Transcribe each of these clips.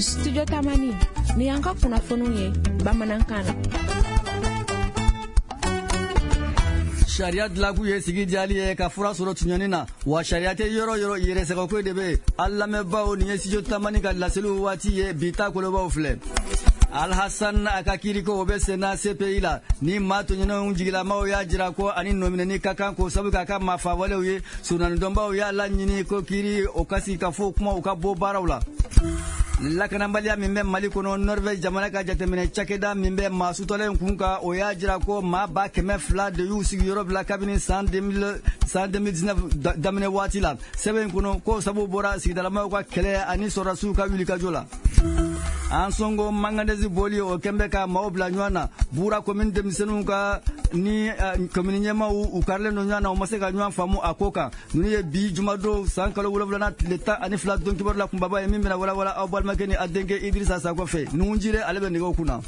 Studio Tamani, ni y'an ka kunnafoniw ye bamanankan na. Sariya dilankun ye sigi diyali ye ka fura sɔrɔ tuɲɔni na, wa sariya tɛ yɔrɔ yɔrɔ, yɛrɛsagoko de bɛ yen. An lamɛnbaaw, nin ye Studio Tamani ka laseliw waati ye. Bi ta kolobaw filɛ: Alhassan a ka kiiriko, o bɛ senna CPI la. Ni maa tɔɲɔnenw jigilamaw y'a jira ko ani nɔminɛni ka kan k'o sabu k'a ka maafawalew ye, surunanidɔnbaw y'a laɲini ko kiiri o ka sigi ka fɔ kuma u ka bɔ baaraw la. Lakanabaliya min bɛ Mali kɔnɔ, Norvège jamana ka jateminɛ cakɛda min bɛ maa sutɔlen kun kan, o y'a jira ko maa 200,000 de y'u sigiyɔrɔ bila kabini san 2019 daminɛ waati la. Sɛbɛn in kɔnɔ ko sabu bɔra sigidalamaw ka kɛlɛ ani sɔrɔdasiw ka wulikajɔ la. Ansongo manganèse bɔli, o kɛn bɛ ka maaw bila ɲɔgɔn na Bura commune denmisɛnninw ka ni commune ɲɛmaaw, u karilen don ɲɔgɔn na, u ma se ka ɲɔgɔn faamu a ko kan. Ninnu ye bi jumadon san kalo 7nan tile 12 don kibaru la kunbaba ye, min bɛna walawala aw balimakɛ ni a denkɛ Idrissa Sakɔ fɛ. Nuhun ale bɛ nɛgɛw kunna.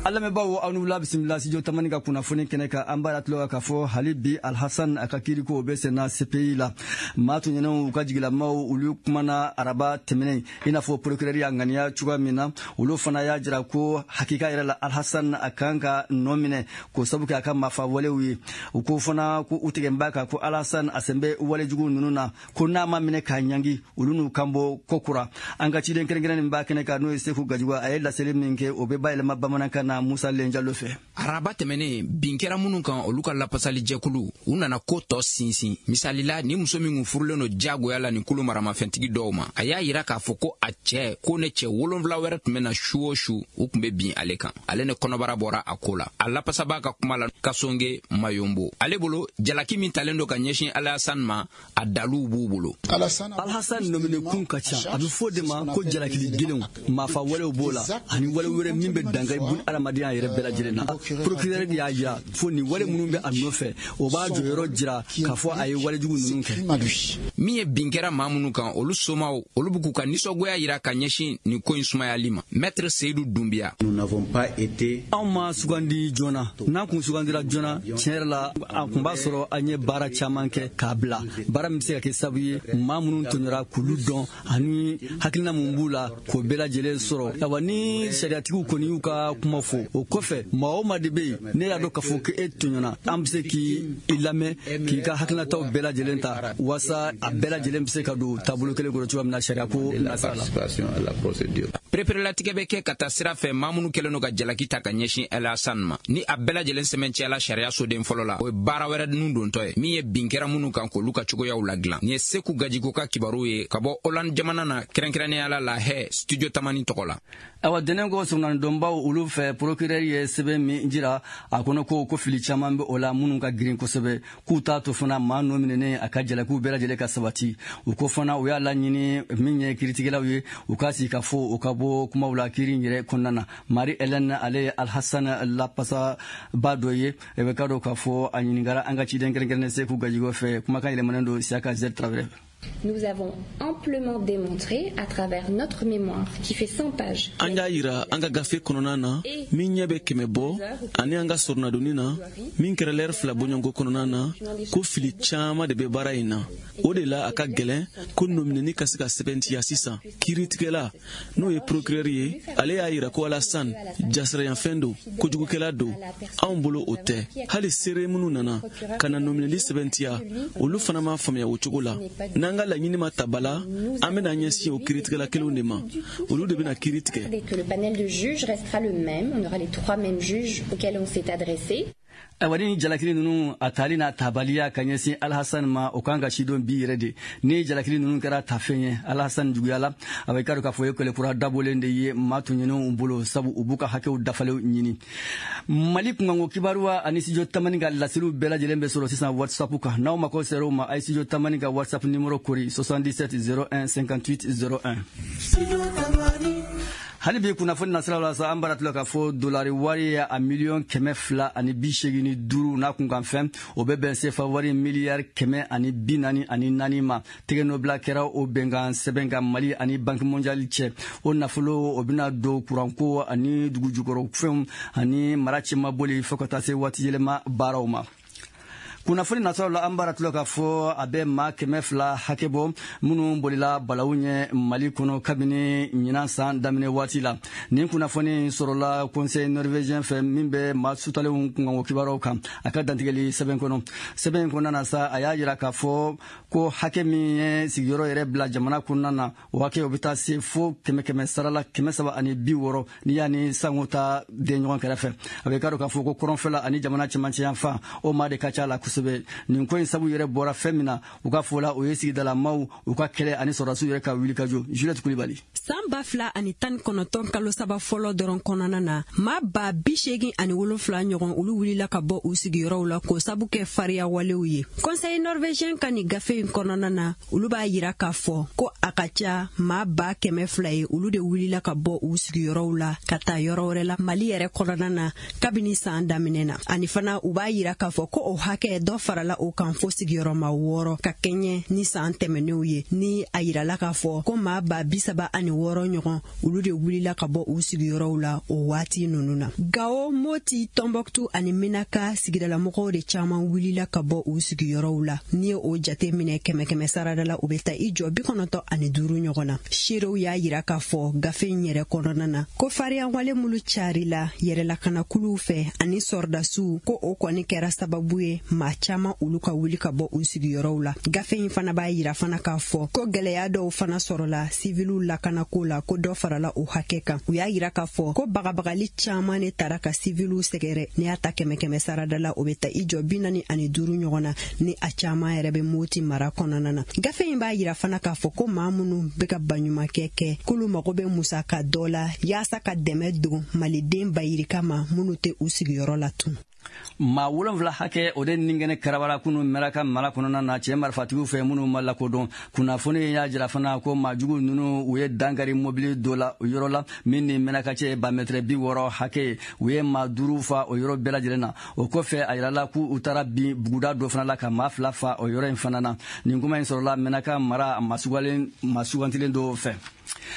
An lamɛnbaaw, aw ni wula, bisimila Studio Tamani ka kunnafoni kɛnɛ kan. An b'a tulo k'a fɔ hali bi, Alhassan a ka kiiriko, o bɛ senna CPI la. Maa tɔɲɔnenw u ka jigilamaw, olu kumana araba tɛmɛnen, i n'a fɔ procureur y'a ŋaniya cogoya min na. Olu fana y'a jira ko hakika yɛrɛ la, Alhassan a kan ka nɔ minɛ k'o sabu kɛ a ka maafa walew ye. U ko fana ko u tigɛ b'a kan ko Alhassan a sen bɛ walejugu ninnu na, ko n'a ma minɛ k'a ɲangi, olu n'u kan bɔ ko kura. An ka ciden kɛrɛnkɛrɛn min b'a kɛnɛ kan, n'o ye Seku Gajugu, a ye laseli min kɛ, o bɛ bayɛlɛma bamanankan na Musa Lenjalo fɛ. Araba tɛmɛnen, bin kɛra minnu kan, olu ka lapasalijɛkulu, u nana ko tɔ sinsin. Misalila, ni muso min kun furulen don diyagoya la nin kulu maramafɛntigi dɔw ma, a y'a yira k'a fɔ ko a cɛ ko ne cɛ 7 wɛrɛ tun bɛ na su o su, u tun bɛ bin ale kan. Ale ne kɔnɔbara bɔra a ko la. A lapasabaa ka kuma la, Kasonge Mayombo, ale bolo, jalaki min talen don ka ɲɛsin Alasan ma, a daluw b'u bolo. Alhassan nɔminɛkun ka ca. A bɛ fɔ de ma ko jalakili gelenw, maafa walew b'o la ani wale wɛrɛ min bɛ dankari bun adamadenya yɛrɛ bɛɛ lajɛlen na. Procureur y'a jira fo nin wale minnu bɛ a nɔfɛ, o b'a jɔyɔrɔ jira k'a fɔ a ye walejugu ninnu kɛ. Min ye bin kɛra maa minnu kan, olu somaw, olu bɛ k'u ka nisɔngoya yira ka ɲɛsin nin ko in sumayali ma. Maître Seyidu Dunbiya: Anw ma sugandi joona. N'an kun sugandira joona, tiɲɛ yɛrɛ la, a kun b'a sɔrɔ an ye baara caman kɛ k'a bila, baara min bɛ se ka kɛ sababu ye maa minnu tɔɲɔra k'olu dɔn ani hakilina mun b'u la k'o bɛɛ lajɛlen sɔrɔ. Awa, ni sariyatigiw kɔni y'u ka kuma fɔ, o kɔfɛ, maa o maa de bɛ yen ne y'a dɔn k'a fɔ ko e tɔɲɔna, an bɛ se k'i lamɛn, k'i ka hakilinataw bɛɛ lajɛlen ta, walasa a bɛɛ lajɛlen bɛ se ka don taabolo kelen kɔnɔ cogoya min na sariya ko nasira la. Pereperelatigɛ bɛ kɛ ka taa sira fɛ maa minnu kɛlen don ka jalaki ta ka ɲɛsin Alasan ma. Ni a bɛɛ lajɛlen sɛmɛncɛla sariya soden fɔlɔ la, o ye baara wɛrɛ nun dontɔ ye, min ye bin kɛra minnu kan, k'olu ka cogoyaw ladilan. Nin ye Seku Gajiko ka kibaru ye ka bɔ Hollande jamana na, kɛrɛnkɛrɛnnenya la Lahɛ, Studio Tamani tɔgɔ la. Awa, dɛnɛn ko surunanidɔnbaw olu fɛ, procureur ye sɛbɛn min jira a kɔnɔ ko fili caman bɛ o la minnu ka girin kosɛbɛ, k'u t'a to fana maa nɔ minɛnen a ka jalakiw bɛɛ lajɛlen ka sabati. U ko fana u y'a laɲini min ye kiiritigɛlaw ye, u ka sigi ka fɔ u ka bɔ kumaw la kiiri in yɛrɛ kɔnɔna na. Marie Hélène, ale ye Alhassan lapasaba dɔ ye. E bɛ ka dɔn k'a fɔ a ɲininkara an ka ciden kɛrɛnkɛrɛnnen Seku Gajigo fɛ. Kumakan yɛlɛmanen don Siaka Z Traoré. Nous avons amplement démontré à travers notre mémoire qui fait 100 pages. An y'a yira an ka gafe kɔnɔna na min ɲɛ bɛ 100 bɔ, ani an ka sɔrɔnadonni na min kɛra lɛri 2 bɔɲɔgɔnko kɔnɔna na, ko fili caman de bɛ baara in na. O de la a ka gɛlɛn ko nɔminɛni ka se ka sɛbɛntiya sisan. Kiiritigɛla, n'o ye procureur ye, ale y'a yira ko Alassane jasirayanfɛn don, kojugukɛla don. Anw bolo, o tɛ. Hali seere minnu nana ka na nɔminɛli sɛbɛntiya, olu fana m'a faamuya o cogo la. N'an ka laɲini ma ta ba la, an bɛna ɲɛsin o kiiritigɛla kelenw de ma, olu de bɛna kiiri tigɛ. Que le panel de juges restera le même, on aura les trois mêmes juges auxquels on s'est adressé. Ayiwa, ni jalakili ninnu a tali n'a tabaliya ka ɲɛsin Alhassan ma, o kan ka sidɔn bi yɛrɛ de. Ni jalakili ninnu kɛra tafɛn ye Alhassan juguya la, a bɛ k'a dɔn k'a fɔ ye kɛlɛkura dabɔlen de ye maa tɔɲɔnenw bolo, sabu u b'u ka hakɛw dafalew ɲini. Mali kunkanko kibaruya ani Studio Tamani ka laseliw bɛɛ lajɛlen bɛ sɔrɔ sisan WhatsApp kan. N'aw mako sera o ma, a ye Studio Tamani ka WhatsApp numéro kori: 77 01 58 01. Hali bi kunnafoni nasira la sa, an bara tila k'a fɔ dolari wari ye a 285 miliyɔn n'a kunkan fɛn, o bɛ bɛn sefa wari 144 miliyari ma. Tɛgɛnɔbila kɛra o bɛnkan sɛbɛn kan Mali ani Banque mondiale cɛ. O nafolo, o bɛna don kuranko ani dugujukɔrɔ fɛnw ani mara cɛmabɔli, fo ka taa se waati yɛlɛma baaraw ma. Kunnafoni nasɔrɔ la, an b'a tulo k'a fɔ a bɛ maa 200 hakɛ bɔ minnu bolila balawu ɲɛ Mali kɔnɔ kabini ɲinan san daminɛ waati la. Nin kunnafoni sɔrɔla Conseil norvégien fɛ min bɛ maa sutalenw kunkanko kibaruyaw kan, a ka dantigɛli sɛbɛn kɔnɔ. Sɛbɛn in kɔnɔna na sa, a y'a jira k'a fɔ ko hakɛ min ye sigiyɔrɔ yɛrɛ bila jamana kɔnɔna na, o hakɛ o bɛ taa se fo kɛmɛ kɛmɛ sara la 360, n'i y'a ni sango ta den ɲɔgɔn kɛrɛfɛ. A bɛ k'a dɔn k'a fɔ ko kɔrɔnfɛla ani jamana cɛmancɛ yanfan, o maa de ka ca la kosɛbɛ. Nin ko in sabu yɛrɛ bɔra fɛn min na, u ka fɔ la, o ye sigidalamaw u ka kɛlɛ ani sɔrɔdasiw yɛrɛ ka wulikajɔ. Juliette Kulibali. San 2019 kalo 3 fɔlɔ dɔrɔn kɔnɔna na, maa 87,000 ɲɔgɔn, olu wulila ka bɔ u sigiyɔrɔw la k'o sabu kɛ fariya walew ye. Conseil norvégien ka nin gafe in kɔnɔna na, olu b'a yira k'a fɔ ko a ka ca maa 200,000 ye, olu de wulila ka bɔ u sigiyɔrɔw la ka taa yɔrɔ wɛrɛ la Mali yɛrɛ kɔnɔna na kabini san daminɛ na. Ani fana, u b'a yira k'a fɔ ko o hakɛ dɔ farala o kan fo sigiyɔrɔma 6 ka kɛɲɛ ni san tɛmɛnenw ye, ni a yirala k'a fɔ ko maa 36,000 ɲɔgɔn, olu de wulila ka bɔ u sigiyɔrɔw la o waati ninnu na. Gawo, Moti, Tɔnbɔkutu ani Menaka sigidalamɔgɔw de caman wulila ka bɔ u sigiyɔrɔw la. N'i ye o jate minɛ kɛmɛ kɛmɛ sarada la, u bɛ taa i jɔ 95 ɲɔgɔn na. Seerew y'a yira k'a fɔ gafe in yɛrɛ kɔnɔna na ko fariyawale minnu carila yɛrɛlakanakuluw fɛ ani sɔrɔdasiw, ko o kɔni kɛra sababu ye maa caman olu ka wuli ka bɔ u sigiyɔrɔw la. Gafe in fana b'a yira fana k'a fɔ ko gɛlɛya dɔw fana sɔrɔla siviliw lakanako la, ko dɔ farala o hakɛ kan. U y'a yira k'a fɔ ko bagabagali caman de tara ka siviliw sɛgɛrɛ. N'i y'a ta kɛmɛ kɛmɛ sarada la, o bɛ taa i jɔ 45 ɲɔgɔn na, ni a caman yɛrɛ bɛ Moti mara kɔnɔna na. Gafe in b'a yira fana k'a fɔ ko maa minnu bɛ ka baɲumankɛ kɛ, k'olu mago bɛ musaka dɔ la yaasa ka dɛmɛ don maliden bayirika ma minnu tɛ u sigiyɔrɔ la tun. Maa 7 hakɛ, o de nin kɛnɛ karabara kunu Mɛraka mara kɔnɔna na, cɛɛ marifatigiw fɛ minnu ma lakodɔn. Kunnafoni y'a jira fana ko maajugu ninnu, u ye dankari mobili dɔ la o yɔrɔ la min ni Mɛnaka cɛ ba mɛtɛrɛ 60 hakɛ ye. U ye maa 5 fa o yɔrɔ bɛɛ lajɛlen na. O kɔfɛ, a yirala k'u taara bin buguda dɔ fana la ka maa 2 fa o yɔrɔ in fana na. Nin kuma in sɔrɔla Mɛnaka mara maa sugantilen dɔw fɛ.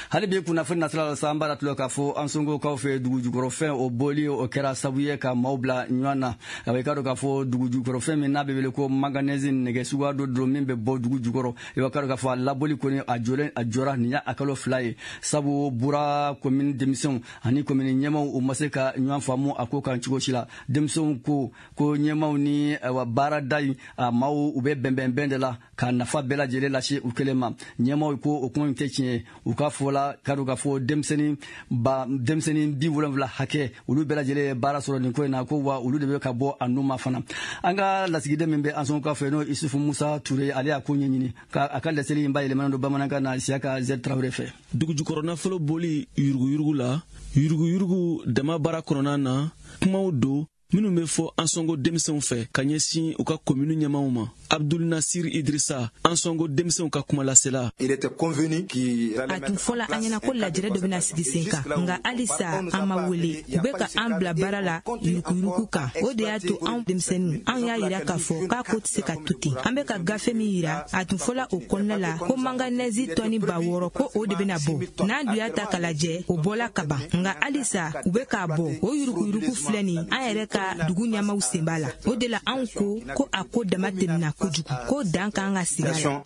Hali bi kunnafoni nasira la sa, an b'a tulo k'a fɔ an songokaw fɛ, dugujukɔrɔfɛn o bɔli, o kɛra sababu ye ka maaw bila ɲɔgɔn na. A bɛ k'a dɔn k'a fɔ dugujukɔrɔfɛn min n'a bɛ wele ko manganèse, nɛgɛ suguya dɔ don min bɛ bɔ dugu jukɔrɔ, i b'a k'a dɔn k'a fɔ a labɔli kɔni, a jɔlen, a jɔra nin y'a kalo 2 ye, sabu Bura komini denmisɛnw ani komini ɲɛmaw, u ma se ka ɲɔgɔn faamu a ko kan cogo si la. Denmisɛnw ko ko ɲɛmaw ni ayiwa baarada in a maaw, u bɛ bɛnbɛnbɛn de la ka nafa bɛɛ lajɛlen lase u kelen ma. Ɲɛmaw ko o kuma in tɛ tiɲɛ ye. U ka fɔ la, k'a dɔn k'a fɔ denmisɛnnin ba denmisɛnnin 70 hakɛ, olu bɛɛ lajɛlen ye baara sɔrɔ nin ko in na, ko wa olu de bɛ ka bɔ a nu ma fana. An ka lasigiden min bɛ an sɔn fɛ, n'o Isufu Musa Ture, ale y'a ko ɲɛɲini ka a ka laseli in bayɛlɛmalen don bamanankan na Siyaka Z Tarawele fɛ. Dugujukɔrɔ nafolo boli yuruguyurugu la, yuruguyurugu dama baara kɔnɔna na, kumaw don minnu bɛ fɔ an sɔngo denmisɛnw fɛ ka ɲɛsin u ka komini ɲɛmaw ma. Abdul Nasir Idrissa, an sɔngo denmisɛnw ka kumalasela. A tun fɔla an ɲɛna ko lajɛrɛ dɔ bɛna sigi sen kan, nka halisa an ma wele. U bɛ ka an bila baara la yurukuyuruku kan. O de y'a to anw denmisɛnninw, an y'a yira k'a fɔ k'a ko tɛ se ka to ten. An bɛ ka gafe min yira, a tun fɔla o kɔnɔna la ko manganèse tɔni 6000, ko o de bɛna bɔ. N'an dun y'a ta k'a lajɛ, o bɔla ka ban, nka halisa u bɛ k'a bɔ. O yurukuyuruku filɛ nin, an yɛrɛ ka dugu ɲɛmaw sen b'a la. O de la anw ko ko a ko dama tɛmɛna kojugu, ko dan kan ka sigi a la.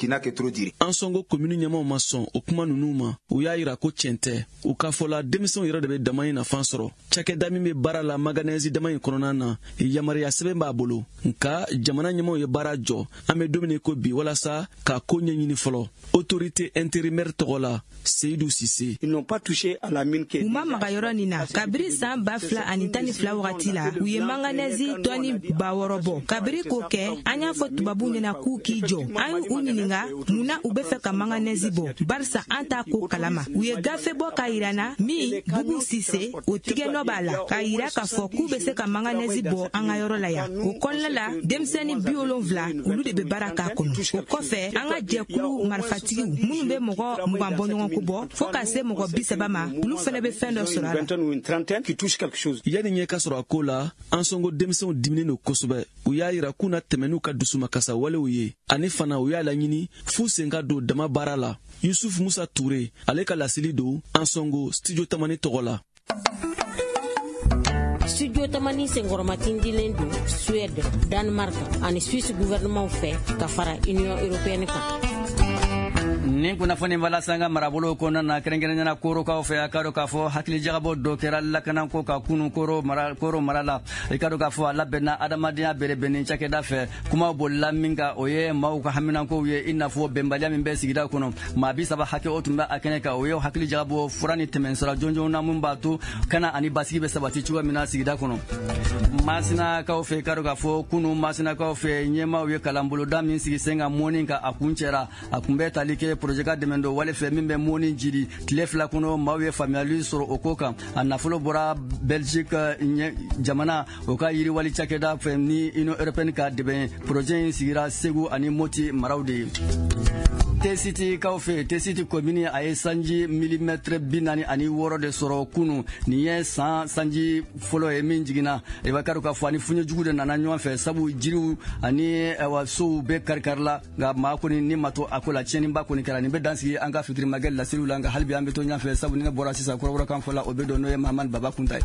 An sɔngo komini ɲɛmaw ma sɔn o kuma ninnu ma. U y'a yira ko tiɲɛ tɛ. U k'a fɔ la, denmisɛnw yɛrɛ de bɛ dama in nafan sɔrɔ. Cakɛda min bɛ baara la manganèse dama in kɔnɔna na, yamaruya sɛbɛn b'a bolo, nka jamana ɲɛmaw ye baara jɔ an bɛ don min ko bi walasa k'a ko ɲɛɲini fɔlɔ. Autorité intérimaire tɔgɔ la, Seyidu Sise. U ma maga yɔrɔ nin na kabiri san 2012 wagati la. U ye manganèse tɔni 6000 bɔ. Kabiri k'o kɛ, an y'a fɔ tubabuw ɲɛna k'u k'i jɔ. An y'u ɲininga mun na u bɛ fɛ ka manganèse bɔ, barisa an t'a ko kalama. U ye gafe bɔ k'a yira na min Bubu Sise o tigɛnɔ b'a la, k'a yira k'a fɔ k'u bɛ se ka manganèse bɔ an ka yɔrɔ la yan. O kɔnɔna la, denmisɛnnin 70, olu de bɛ baara k'a kɔnɔ. O kɔfɛ, an ka jɛkulu marifatigiw minnu bɛ mɔgɔ 20 bɔ ɲɔgɔn ko bɔ fɔɔ ka se mɔgɔ 30 ma, olu fɛnɛ bɛ fɛn dɔ sɔrɔ a la. Yanni ɲɛ ka sɔrɔ a ko la, an sɔngo denmisɛnw diminen don kosɛbɛ. U y'a yira k'u na tɛmɛ n'u ka dusumakasa walew ye, ani fana u y'a laɲini f'u sen ka don dama baara la. Yusuf Musa Ture, ale ka laseli don an sɔngo Studio Tamani tɔgɔ la. Studio Tamani senkɔrɔmatindilen don Suède, Danemark ani Suisse gouvernement fɛ ka fara Union européenne kan. Nin kunnafoni b'a lase an ka marabolo kɔnɔna na, kɛrɛnkɛrɛnnenya Korokaw fɛ. A ka dɔn k'a fɔ hakilijagabɔ dɔ kɛra lakanako ka kunu Koro mara, Koro mara la. I ka dɔn k'a fɔ a labɛnna adamadenya bɛrɛbɛnni cakɛda fɛ. Kumaw bolila min kan, o ye maaw ka haminankow ye, i n'a fɔ bɛnbaliya min bɛ sigida kɔnɔ. Maa 30 hakɛ, o tun bɛ a kɛnɛ kan. O ye hakili jagabɔ fura ni tɛmɛsira jɔnjɔn na, mun b'a to kana ani basigi bɛ sabati cogoya min na sigida kɔnɔ. Masinakaw fɛ, i ka dɔn k'a fɔ kunu Masinakaw fɛ, ɲɛmaaw ye kalanboloda min sigi sen kan mɔni kan, a kun cɛra. A kun bɛ tali kɛ projet ka dɛmɛ dɔ wale fɛ min bɛ mɔni jiri. Tile 2 kɔnɔ, maaw ye faamuyali sɔrɔ o ko kan. A nafolo bɔra Belgique jamana, o ka yiriwali cakɛda fɛ ni Union européenne ka dɛmɛ. Projet in sigira Segu ani Moti maraw de ye. Tesiti kaw fɛ, Tesiti komini, a ye sanji milimɛtɛrɛ 46 de sɔrɔ kunu. Nin ye san sanji fɔlɔ ye min jiginna. I b'a kari k'a fɔ ani funye jugu de nana ɲɔgɔn fɛ, sabu jiriw ani sow bɛɛ kari-kari la, nka maa kɔni ni ma to a ko la, tiɲɛniba kɔni kɛra. Nin bɛ dan sigi an ka fitirimakɛ laseliw la, nka hali bi an bɛ to ɲɛfɛ, sabu ni ne bɔra sisan, kɔrɔbɔrɔkan fɔ la, o bɛ don, n'o ye Mahamani Baba Kunta ye.